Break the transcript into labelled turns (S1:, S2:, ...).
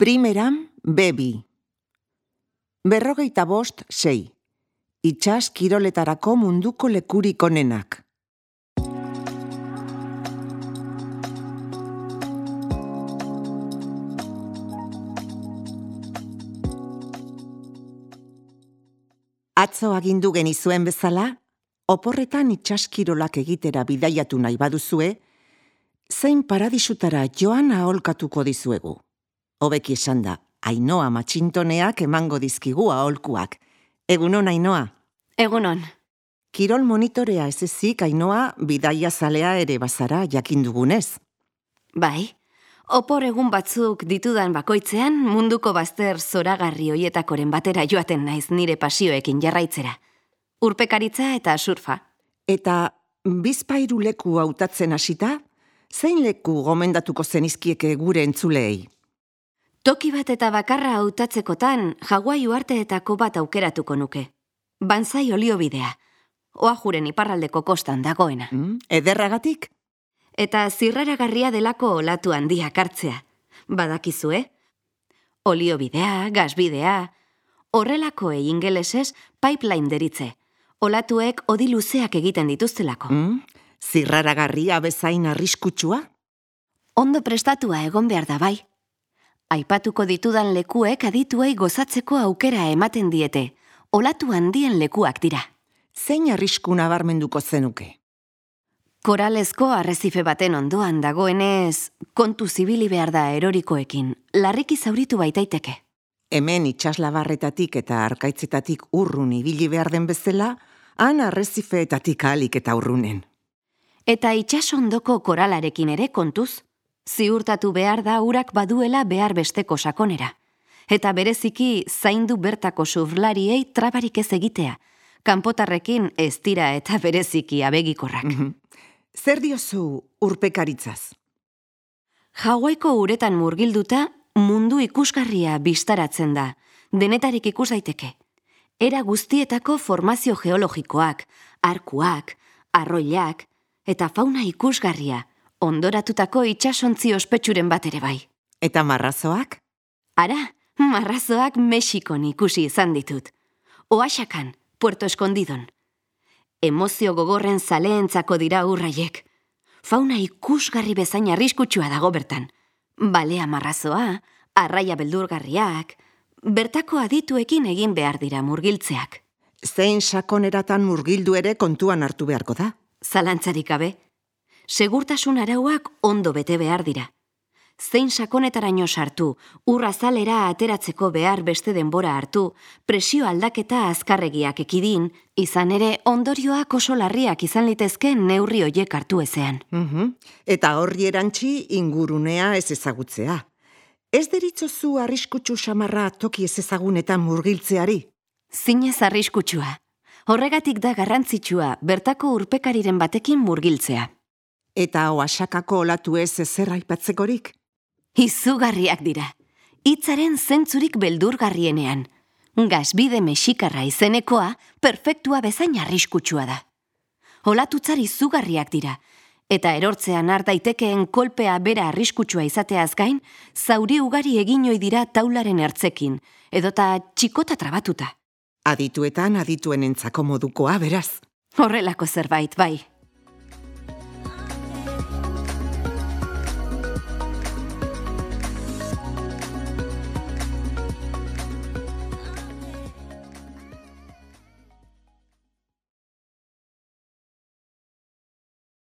S1: Primeran, B2. 45.6. Itsas kiroletarako munduko lekurik onenak. Atzo agindu genizuen bezala, oporretan itsaskirolak egitera bidaiatu nahi baduzue, zein paradisutara joan aholkatuko dizuegu. Hobeki esan da, Ainhoa Matxintoneak emango dizkigu aholkuak. Egunon, Ainhoa?
S2: Egunon.
S1: Kirol monitorea ez ezik, Ainhoa, bidaia zalea ere bazara jakindugunez.
S2: Bai, opor egun batzuk ditudan bakoitzean munduko bazter zoragarri hoietakoren batera joaten naiz nire pasioekin jarraitzera. Urpekaritza eta surfa.
S1: Eta bizpahiru leku hautatzen hasita, zein leku gomendatuko zenizkieke gure entzuleei?
S2: Toki bat eta bakarra hautatzekotan Hawaii uharteetako bat aukeratuko nuke. Banzai oliobidea, Oahuren iparraldeko kostan dagoena.
S1: Ederragatik?
S2: Eta zirraragarria delako olatu handiak hartzea. Badakizue? Oliobidea, gasbidea, horrelakoei ingelesez pipeline deritze. Olatuek odi luzeak egiten dituztelako.
S1: Zirraragarria bezain arriskutsua?
S2: Ondo prestatua egon behar da bai. Aipatuko ditudan lekuek adituei gozatzeko aukera ematen diete. Olatu handien lekuak dira.
S1: Zein arrisku nabarmenduko zenuke?
S2: Koralezko arrezife baten ondoan dagoenez, kontu zibili behar da erorikoekin, larriki zauritu baitaiteke.
S1: Hemen itsaslabarretatik eta arkaitzetatik urrun ibili behar den bezala, han arrezifeetatik ahalik eta urrunen.
S2: Eta itsasondoko koralarekin ere kontuz, ziurtatu behar da urak baduela behar besteko sakonera. Eta bereziki zaindu bertako surflariei trabarik ez egitea, kanpotarrekin ez dira eta bereziki abegikorrak.
S1: Zer diozu urpekaritzaz?
S2: Hawaiiko uretan murgilduta mundu ikusgarria bistaratzen da, denetarik ikus daiteke. Era guztietako formazio geologikoak, arkuak, arroilak eta fauna ikusgarria, ondoratutako itsasontzi ospetsuren bat ere bai.
S1: Eta marrazoak?
S2: Ara, marrazoak Mexikon ikusi izan ditut. Oaxacan, Puerto Escondidon. Emozio gogorren zaleentzako dira urraiek. Fauna ikusgarri bezain arriskutsua dago bertan. Balea marrazoa, arraia beldurgarriak, bertako adituekin egin behar dira murgiltzeak.
S1: Zein sakoneratan murgildu ere kontuan hartu beharko da?
S2: Zalantzarik gabe. Segurtasun arauak ondo bete behar dira. Zein sakonetaraino sartu, urrazalera ateratzeko behar beste denbora hartu, presio aldaketa azkarregiak ekidin, izan ere ondorioak oso larriak izan litezke neurri hoiek hartu ezean.
S1: Eta horri erantzi ingurunea ez ezagutzea. Ez deritzozu arriskutsu samarra toki ez ezagunetan murgiltzeari?
S2: Zinez arriskutsua. Horregatik da garrantzitsua bertako urpekariren batekin murgiltzea.
S1: Eta Oaxakako olatu ez ezer aipatzekorik?
S2: Izugarriak dira. Hitzaren zentzurik beldurgarrienean. Gasbide mexikarra izenekoa perfektua bezain arriskutsua da. Olatutzar izugarriak dira. Eta erortzean har daitekeen kolpea bera arriskutsua izateaz gain, zauri ugari egin ohi dira taularen ertzekin, edota txikota trabatuta.
S1: Adituetan adituenentzako modukoa, beraz.
S2: Horrelako zerbait, bai.